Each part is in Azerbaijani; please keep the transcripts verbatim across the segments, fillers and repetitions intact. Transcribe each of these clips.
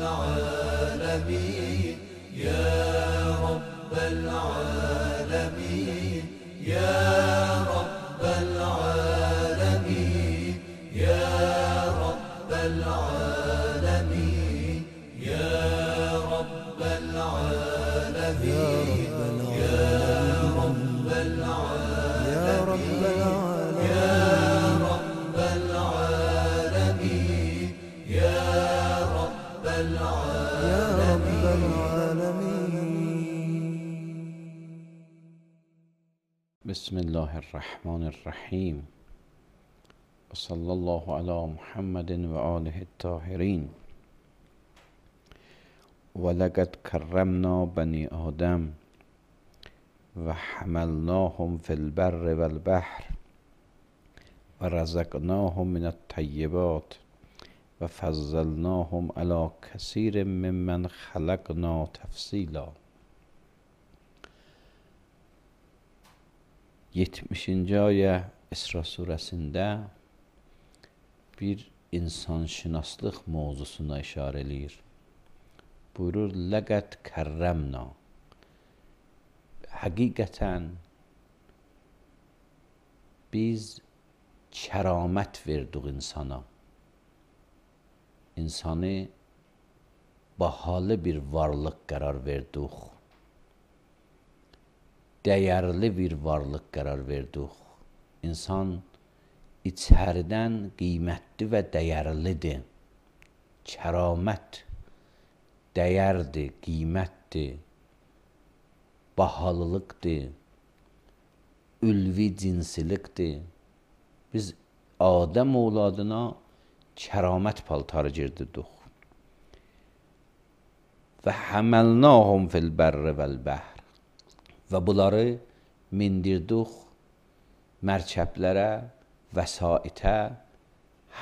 العالمين يا رب العالمين يا رب العالمين يا رب العالمين يا رب العالمين يا رب العالمين يا رب العالمين يا رب العالمين. بسم الله الرحمن الرحیم و صلی الله علی محمد و آله الطاهرین. ولقد کرمنا بنی آدم و حملناهم فی البر والبحر و رزقناهم من الطیبات و فضلناهم علی کثیر ممن خلقنا تفصیلا. yetmişinci ayə İsra surəsində bir insanşünaslıq mövzusuna işarə eləyir. Buyurur, ləqəd kərrəmna. Həqiqətən biz kəramət verdik insana. İnsanı bahalı bir varlıq qərar verdik. Dəyərli bir varlıq qərar verdik. İnsan içəridən qiymətli və dəyərlidir. Kəramət dəyərdir, qiymətdir, bahalılıqdır, ülvi cinsilikdir. Biz Adəm oğladına kəramət paltarı girdirdik. Və həməlnahum fil bərri vəl bəhr. Və bunları mindirdik mərkəblərə, vəsaitə,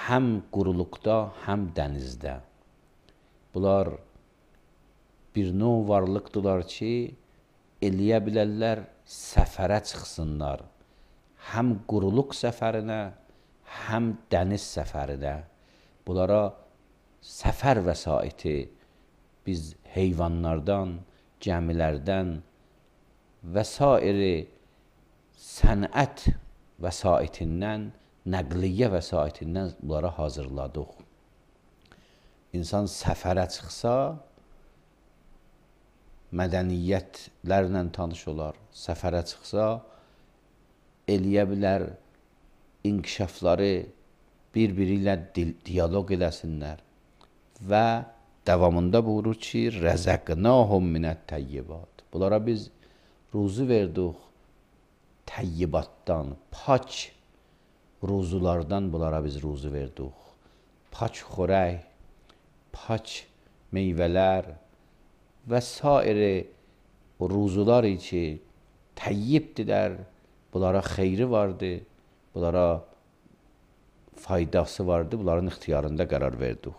həm quruluqda, həm dənizdə. Bunlar bir növ varlıqdılar ki, eləyə bilərlər, səfərə çıxsınlar. Həm quruluq səfərinə, həm dəniz səfərinə. Bunlara səfər vəsaiti biz heyvanlardan, gəmilərdən və sairi sənət vəsaitindən, nəqliyyə vəsaitindən bunlara hazırladıq. İnsan səfərə çıxsa, mədəniyyətlərlə tanış olar. Səfərə çıxsa, eləyə bilər, inkişafları bir-biri ilə diyaloq eləsinlər. Və davamında buyurur ki, rəzəqnahum minət təyyibat. Bunlara biz ruzu verdik təyyibatdan, pak ruzulardan bunlara biz ruzu verdik. Pak xörək, pak meyvələr və sairi ruzular ki, təyyibdirlər, bunlara xeyri vardır, bunlara faydası vardır, bunların ixtiyarında qərar verdik.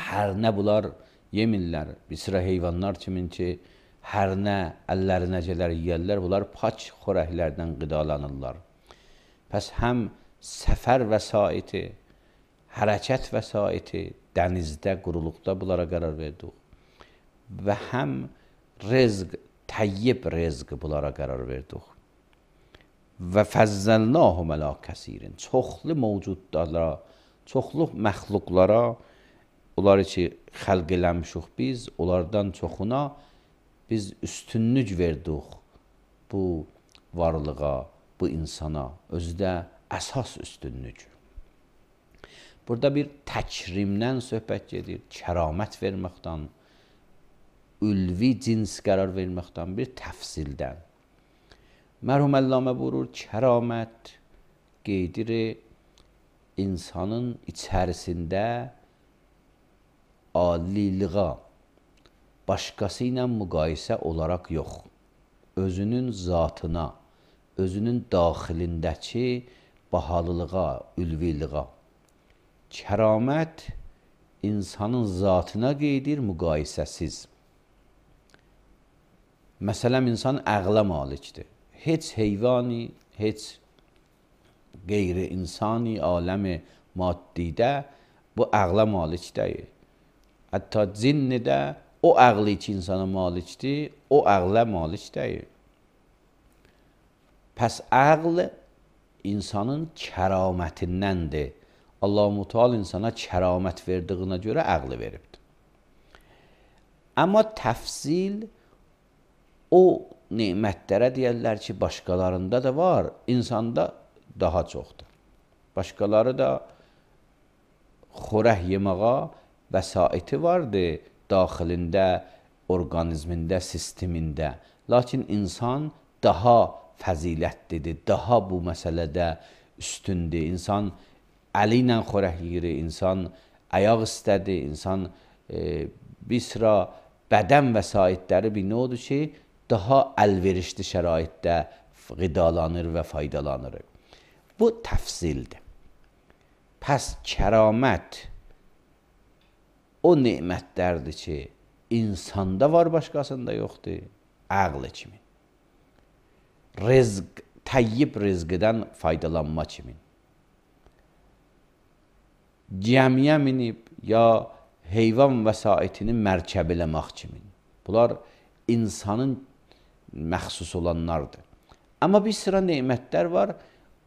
Hər nə bunlar yemirlər, bir sıra heyvanlar kimin ki, hər nə əllərinə gələr yeyərlər, bunlar pak xörəklərdən qidalanırlar. Pəs həm səfər vəsaiti, hərəkət vəsaiti, dənizdə, quruluqda bunlara qərar verdik. Və həm rezq, təyyib rezq bunlara qərar verdik. Və fəzzəlnahum ələ kəsirin. Çoxlu mövcudlara, çoxlu məxluqlara, onları ki, xəlq eləmişik biz, onlardan çoxuna biz üstünlük verdik bu varlığa, bu insana, özü də əsas üstünlük. Burada bir təkrimdən söhbət gedir, kəramət verməkdən, ülvi cins qərar verməkdən, bir təfsildən. Mərhum Əllamə buyurur, kəramət qeydir insanın içərisində aliliğa, başqası ilə müqayisə olaraq yox, özünün zatına, özünün daxilindəki bahalılığa, ülviliğa. Kəramət insanın zatına qeydir müqayisəsiz. Məsələn, insan əqlə malikdir. Heç heyvani, heç qeyri-insani aləmi maddidə bu əqlə malik deyil. Hətta cinni də o ağlı ki insana malikdir, o ağla malik deyil. Pəs ağl insanın kəramətindəndir. Allah-u Teala insana kəramət verdiyinə görə ağlı veribdir. Amma təfsil o nemətlərə deyərlər ki, başqalarında da var, insanda daha çoxdur. Başqaları da xörək yemağa vəsaiti vardır daxilində, orqanizmində, sistemində. Lakin insan daha fəzilətlidir, daha bu məsələdə üstündür. İnsan əli ilə xörək yeyir, insan ayaq istədi, insan e, bir sıra bədən vəsaitləri bir nə odur ki, daha əlverişli şəraitdə qidalanır və faydalanır. Bu təfsildir. Pəs kəramət o nemətlərdir ki, insanda var, başqasında yoxdur, ağlı kimi. Rizq, təyyib rizqidən faydalanma kimi. Gəmiyə minib, ya heyvan vəsaitini mərkəbiləmək kimi. Bunlar insanın məxsus olanlardır. Amma bir sıra nemətlər var,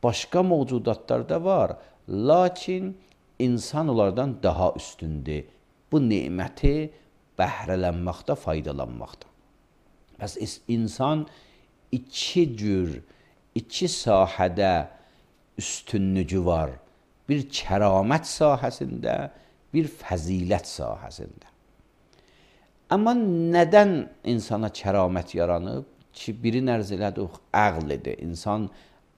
başqa mövcudatlarda var, lakin insan onlardan daha üstündür. Bu neməti bəhrələnməkdə, faydalanmaqda. Bəs insan iki cür, iki sahədə üstünlüyü var. Bir kəramət sahəsində, bir fəzilət sahəsində. Amma nədən insana kəramət yaranıb? Ki, birin ərz elədik, əqlidir. İnsan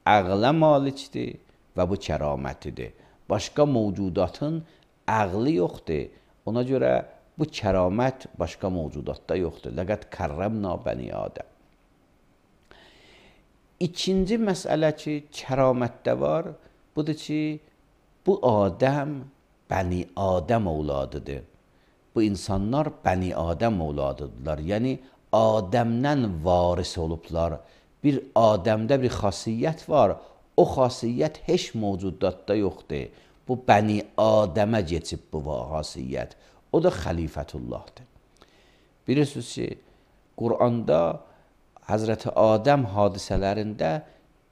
əqlə malikdir və bu kəramətidir. Başqa mövcudatın əqli yoxdur. Ona görə bu kəramət başqa mövcudatda yoxdur. Ləqəd kərrəmna bəni Adəm. İkinci məsələ ki, kəramətdə var, budur ki, bu Adəm bəni Adəm ovladıdır. Bu insanlar bəni Adəm ovladıdırlar. Yəni, Adəmdən varis olublar. Bir Adəmdə bir xasiyyət var, o xasiyyət heç mövcudatda yoxdur. Bu bəni Adəmə geçib bu xasiyyət. O da xəlifətullahdır. Bilirsiniz ki, Quranda Həzrəti Adəm hadisələrində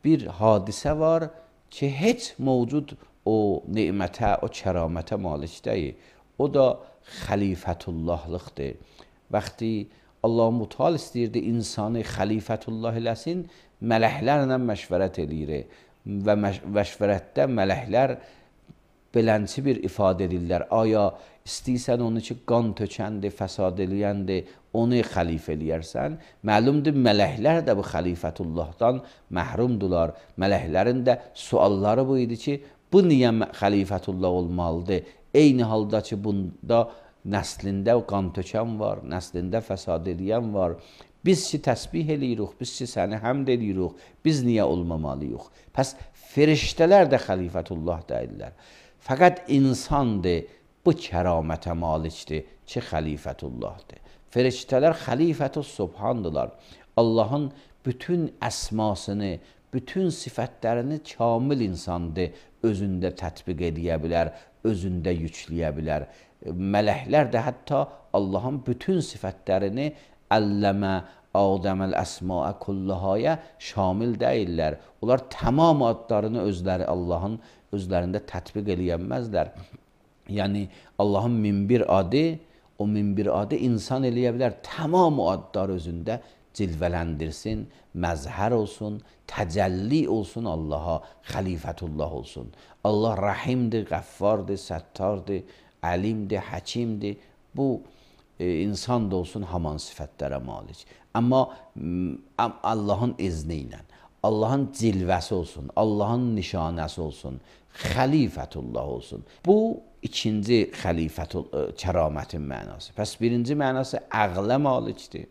bir hadisə var ki, heç mövcud o nemətə, o kəramətə malik deyil. O da xəlifətullahlıqdır. Vaxti Allah-u Teala istəyirdi insanı xəlifətullah eləsin, mələklərlə məşvərət eləyir və məşvərətdə mələklər belənçi bir ifadə edirlər. Aya istəyirsən onu ki, qan tökəndir, fəsad eləyəndir, onu xəlifə eləyərsən. Məlumdur, mələklər də bu xəlifətullahdan məhrumdular. Mələklərin də sualları bu idi ki, bu niyə xəlifətullah olmalıdır? Eyni halda ki, bunda nəslində qan tökən var, nəslində fəsad eləyən var. Biz ki, təsbih eləyirik, biz ki, səni həmd eləyirik, biz niyə olmamalıyıq? Pəs, feriştələr də xəlifətullah deyirlər. Fəqət insandır, bu kəramətə malikdir ki, xəlifətullahdır. Feriştələr xəlifətü subhandılar. Allahın bütün əsmasını, bütün sifətlərini kamil insandır, özündə tətbiq edə bilər, özündə yükləyə bilər. Mələklər də hətta Allahın bütün sifətlərini əlləmə, Adəməl əsmaə kullahaya şamil deyirlər. Onlar tamam adlarını özləri Allahın özlərində tətbiq eləyənməzlər. Yəni Allahın min bir adı, o min bir adı insan eləyə bilər. Tamam adlar özündə cilvələndirsin, məzhər olsun, təcəlli olsun Allaha, xəlifətullah olsun. Allah rəhimdir, qəffardır, səttardır, əlimdir, həkimdir. Bu e, insan da olsun haman sifətlərə malik. Amma Allahın izni ilə, Allahın cilvəsi olsun, Allahın nişanəsi olsun, xəlifətullah olsun. Bu ikinci xəlifətul kəramətin mənası. Pəs birinci mənası əqlə malikdir.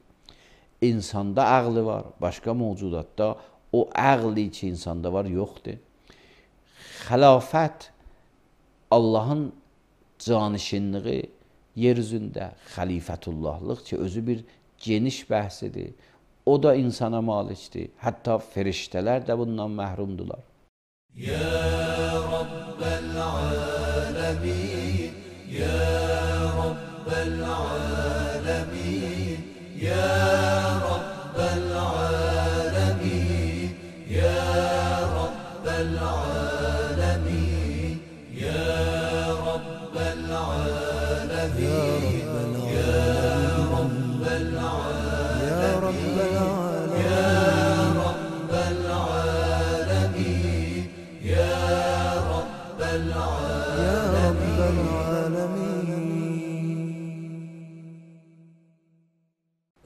İnsanda əqli var, başqa mövcudatda o əqli ki insanda var yoxdur. Xəlafət Allahın canişinliği yer üzündə, xəlifətullahlıq ki özü bir geniş bəhsidir. O da insana malikdir. Hətta feriştələr də bundan məhrumdular. Ya Rabbel alemin, Ya Rabbel العالمين يا رب العالمين يا رب العالمين يا رب العالمين يا رب العالمين يا رب العالمين يا رب العالمين يا رب العالمين.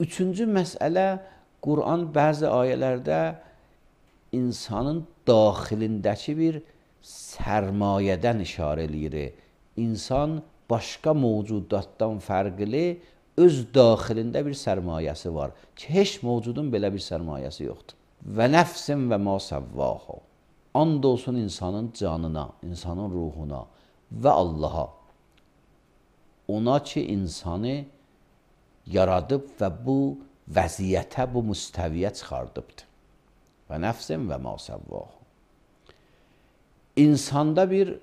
Üçüncü məsələ, Quran bəzi ayələrdə insanın daxilindəki bir sərmayədən işarə eləyir. İnsan başqa mövcudatdan fərqli öz daxilində bir sərmayəsi var ki, heç mövcudun belə bir sərmayəsi yoxdur. Və nəfsin və ma səvvaha. And olsun insanın canına, insanın ruhuna və Allaha. Ona ki, insanı yaradıb və bu vəziyyətə, bu müstəviyə çıxardıbdır. Və nəfsin və ma səvvaha. İnsanda bir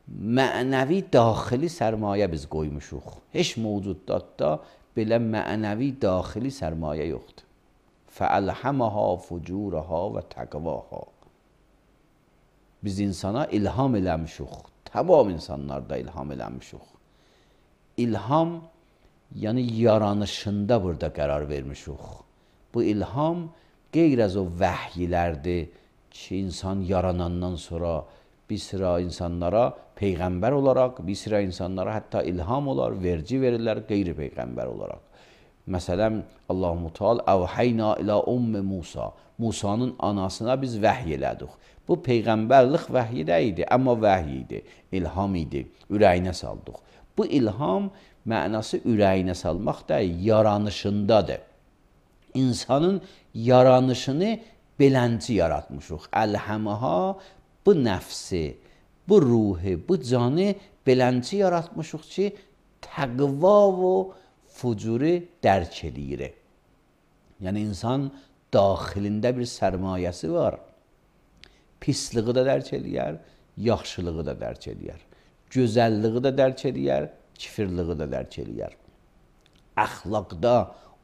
mənəvi daxili sərmayə biz qoymuşuq. Heç mövcuddatda belə mənəvi daxili sərmayə yoxdur. فَأَلْحَمَهَا فُجُورَهَا وَتَقْوَاهَا. Biz insana ilham eləmişuq. Tamam insanlarda ilham eləmişuq. İlham, yəni yaranışında burada qərar vermişuq. Bu ilham qeyr az o vəhyilərdir ki, insan yaranandan sonra bir sıra insanlara peyğəmbər olaraq, bir sıra insanlara hətta ilham olar, verci verirlər qeyri-peyğəmbər olaraq. Məsələn, Allah-u Teala əvhəyna ilə Ümmü Musa. Musanın anasına biz vəhy elədik. Bu peyğəmbərlik vəhyi də idi, amma vəhy idi, ilham idi, ürəyinə saldıq. Bu ilham mənası ürəyinə salmaq da yaranışındadır. İnsanın yaranışını belənci yaratmışıq. Əlhəməha, bu nəfsi, bu ruhi, bu canı belənci yaratmışıq ki, təqva və fucuru dərk eləyir. Yəni, insan daxilində bir sərmayəsi var. Pisliği da dərk eləyər, yaxşılığı da dərk eləyər. Gözəlliği da dərk eləyər, kifirliği də dərk eləyər. Əxlaqda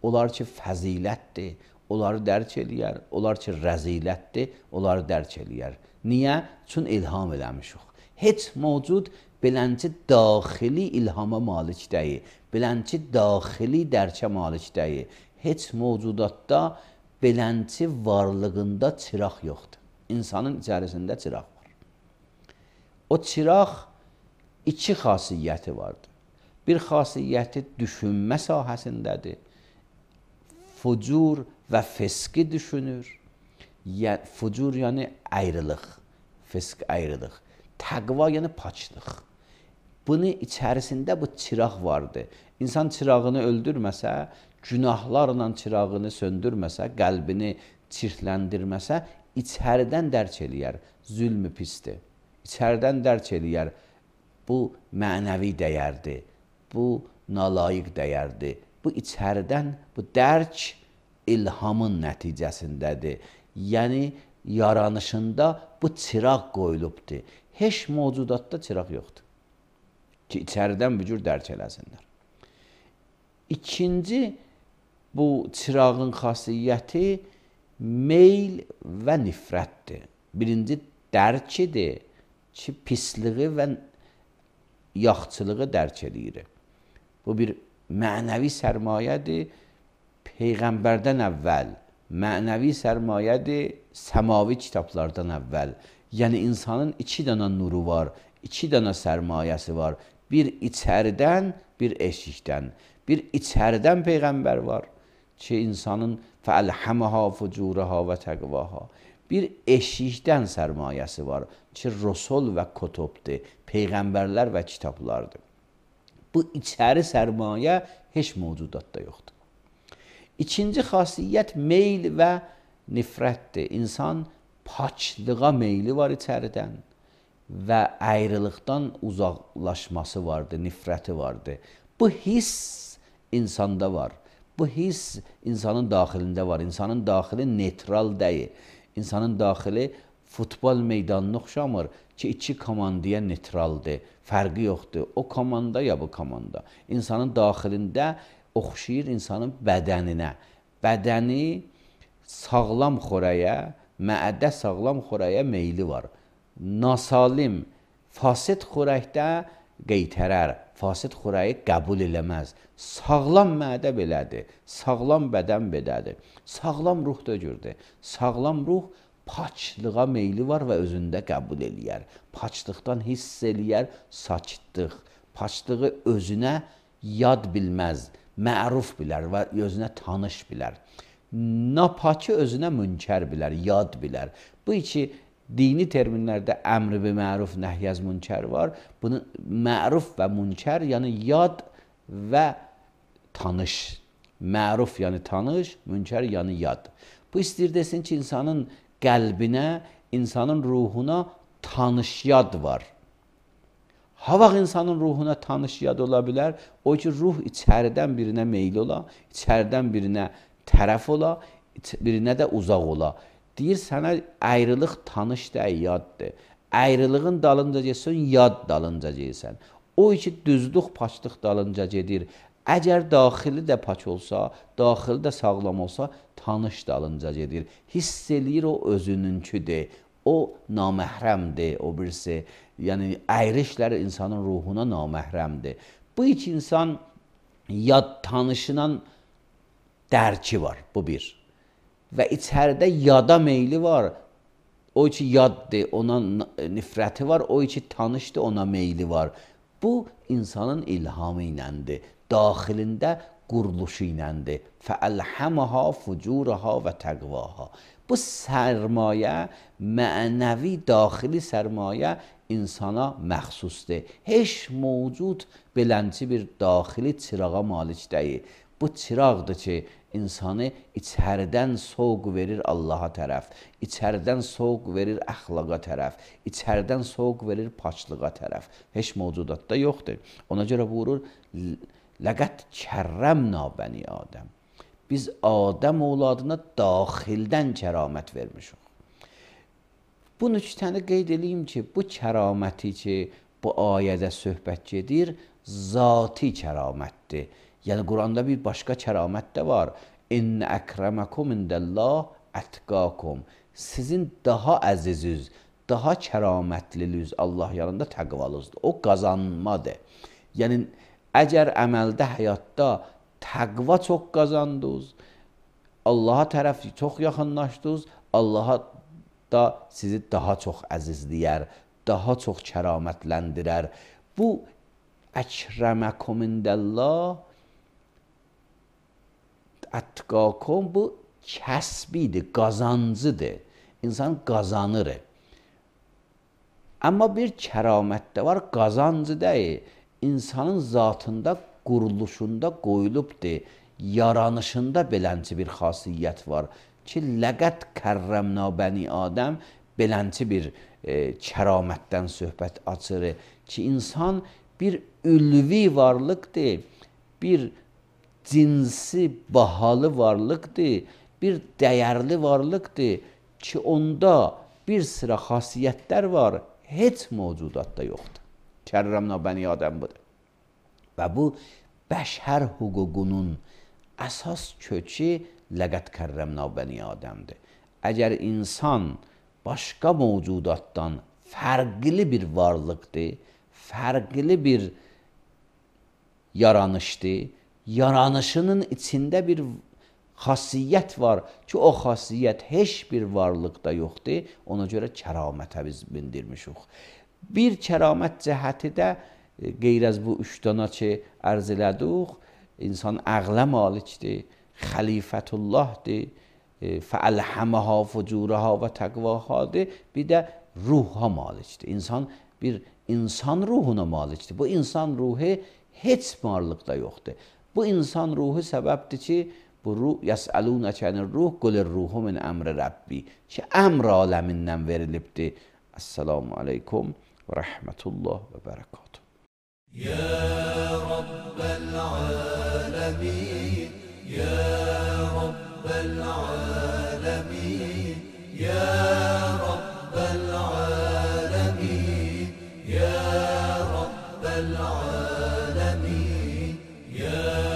olar ki, fəzilətdir, onları dərk eləyər. Olar ki, rəzilətdir, onları dərk eləyər. Niyə? Çün ilham eləmişik. Heç mövcud belənci daxili ilhama malik deyil. Belənci daxili dərkə malik deyil. Heç mövcudatda belənci varlığında çıraq yoxdur. İnsanın içərisində çıraq var. O çıraq iki xasiyyəti vardır. Bir xasiyyəti düşünmə sahəsindədir. Fucur və fiski düşünür. Fucur yəni ayrılıq, fisk ayrılıq. Təqva yəni paçlıq. Bunun içərisində bu çıraq vardır. İnsan çırağını öldürməsə, günahlarla çırağını söndürməsə, qəlbini çirkləndirməsə, içəridən dərk eləyər. Zülmü pisdir. İçəridən dərk eləyər. Bu mənəvi dəyərdir. Bu nalayiq dəyərdir. Bu içəridən, bu dərk ilhamın nəticəsindədir. Yəni, yaranışında bu çıraq qoyulubdur. Heç mövcudatda çıraq yoxdur ki, içəridən bir cür dərk eləsinlər. İkinci, bu çırağın xasiyyəti meyl və nifrətdir. Birinci, dərkidir ki, pisliği və yaxçılığı dərk eləyir. Bu bir mənəvi sərmayədir, Peyğəmbərdən əvvəl, mənəvi sərmayədir, səmavi kitablardan əvvəl. Yəni, insanın iki dənə nuru var, iki dənə sərmayəsi var. Bir içəridən, bir eşikdən. Bir içəridən Peyğəmbər var ki, insanın fəəlhəməha fucuraha və təqvaha. Bir eşikdən sərmayəsi var ki, Rəsul və Kutubdur, Peyğəmbərlər və kitablardır. Bu içəri sərmayə heç mövcudatda yoxdur. İkinci xasiyyət meyl və nifrətdir. İnsan paçlığa meyli var içəridən və ayrılıqdan uzaqlaşması vardır, nifrəti vardır. Bu hiss insanda var. Bu hiss insanın daxilində var. İnsanın daxili netral deyil. İnsanın daxili futbol meydanına oxşamır ki, iki komandaya neytraldır, fərqi yoxdur. O komanda ya bu komanda. İnsanın daxilində oxşayır insanın bədəninə. Bədəni sağlam xörəyə, məədə sağlam xörəyə meyli var. Nasalim, fasid xörəkdə qeytərər, fasid xörəyi qəbul eləməz. Sağlam məədə belədir, sağlam bədən belədir. Sağlam ruh da gördür. Sağlam ruh paçlığa meyli var və özündə qəbul eləyər. Paçlıqdan hiss eləyər, sakitlıq. Paçlığı özünə yad bilməz, məruf bilər və özünə tanış bilər. Napakı özünə münkər bilər, yad bilər. Bu iki dini terminlərdə əmr bi məruf, nəhyəz münkər var. Bunun məruf və münkər, yəni yad və tanış. Məruf yəni tanış, münkər yəni yad. Bu istəyir desin ki, insanın qəlbinə, insanın ruhuna tanış yad var. Ha vaxt insanın ruhuna tanış yad ola bilər, o ki, ruh içəridən birinə meyil ola, içəridən birinə tərəf ola, birinə də uzaq ola. Deyir, sənə ayrılıq tanış deyil, yaddır. Ayrılığın dalınca getsən, yad dalınca gelsən. O ki, düzlük, paçlıq dalınca gedir. Əgər daxili də paç olsa, daxili də sağlam olsa, tanış dalınca gedir. Hiss eləyir, o özününküdür. O naməhrəmdir, o birisi. Yəni, ayrı işlər insanın ruhuna naməhrəmdir. Bu iki insan yad tanışınan dərki var, bu bir. Və içəridə yada meyli var. O ki, yaddır, ona nifrəti var. O ki, tanışdır, ona meyli var. Bu, insanın ilhamı iləndir. Daxilində quruluşu iləndir. Fəəlhəməha fucuraha və təqvaha. Bu sərmayə, mənəvi, daxili sərmayə insana məxsusdur. Heç mövcud belənci bir daxili çırağa malik deyil. Bu çıraqdır ki, insanı içəridən soğuq verir Allaha tərəf, içəridən soğuq verir əxlaqa tərəf, içəridən soğuq verir paçlığa tərəf. Heç mövcudatda yoxdur. Ona görə buyurur, ləqət kərrəmna bəni Adəm. Biz Adəm oğladına daxildən kəramət vermişik. Bu nüktəni qeyd edeyim ki, bu kəraməti ki, bu ayədə söhbət gedir, zati kəramətdir. Yəni, Quranda bir başqa kəramət də var. İnnə əkrəməkum indəllah ətqakum. Sizin daha əziziz, daha kəramətliniz Allah yanında təqvalızdır. O qazanmadır. Yəni, əgər əməldə, həyatda təqva çox qazandınız, Allaha tərəf çox yaxınlaşdınız, Allaha da sizi daha çox əzizləyər, daha çox kəramətləndirər. Bu əkrəməkum indəllah ətqakum, bu kəsbidir, qazancıdır. İnsan qazanır. Amma bir kəramət də var, qazancı deyil. İnsanın zatında, quruluşunda qoyulubdur. Yaranışında belənci bir xasiyyət var ki, ləqət kərrəmna bəni Adəm belənci bir e, kəramətdən söhbət açır ki, insan bir ülvi varlıqdır, bir cinsi, bahalı varlıqdır, bir dəyərli varlıqdır ki, onda bir sıra xasiyyətlər var, heç mövcudatda yoxdur. Kərrəmna bəni Adəm budur. Və bu, bəşər hüququnun əsas kökü ləqət kərrəmna bəni Adəmdir. Əgər insan başqa mövcudatdan fərqli bir varlıqdır, fərqli bir yaranışdır, yaranışının içində bir xasiyyət var ki, o xasiyyət heç bir varlıqda yoxdur, ona görə kəramətə biz bindirmişik. Bir kəramət cəhəti də qeyr az bu üç dana ki, ərz elədik, insan əqlə malikdir, xəlifətullahdır, fəəlhəməha fucuraha və təqvahadır, bir də ruha malikdir. İnsan bir insan ruhuna malikdir. Bu insan ruhu heç varlıqda yoxdur. Bu insan ruhu səbəbdir ki, bu ruh, yəsəlunəkə ənir ruh, qulir ruhu min əmri Rəbbi ki, əmr aləmindən verilibdir. Əssalamu aleykum və rəhmətullah və bərəkatuhu. يا رب العالمين يا رب العالمين يا رب العالمين. يا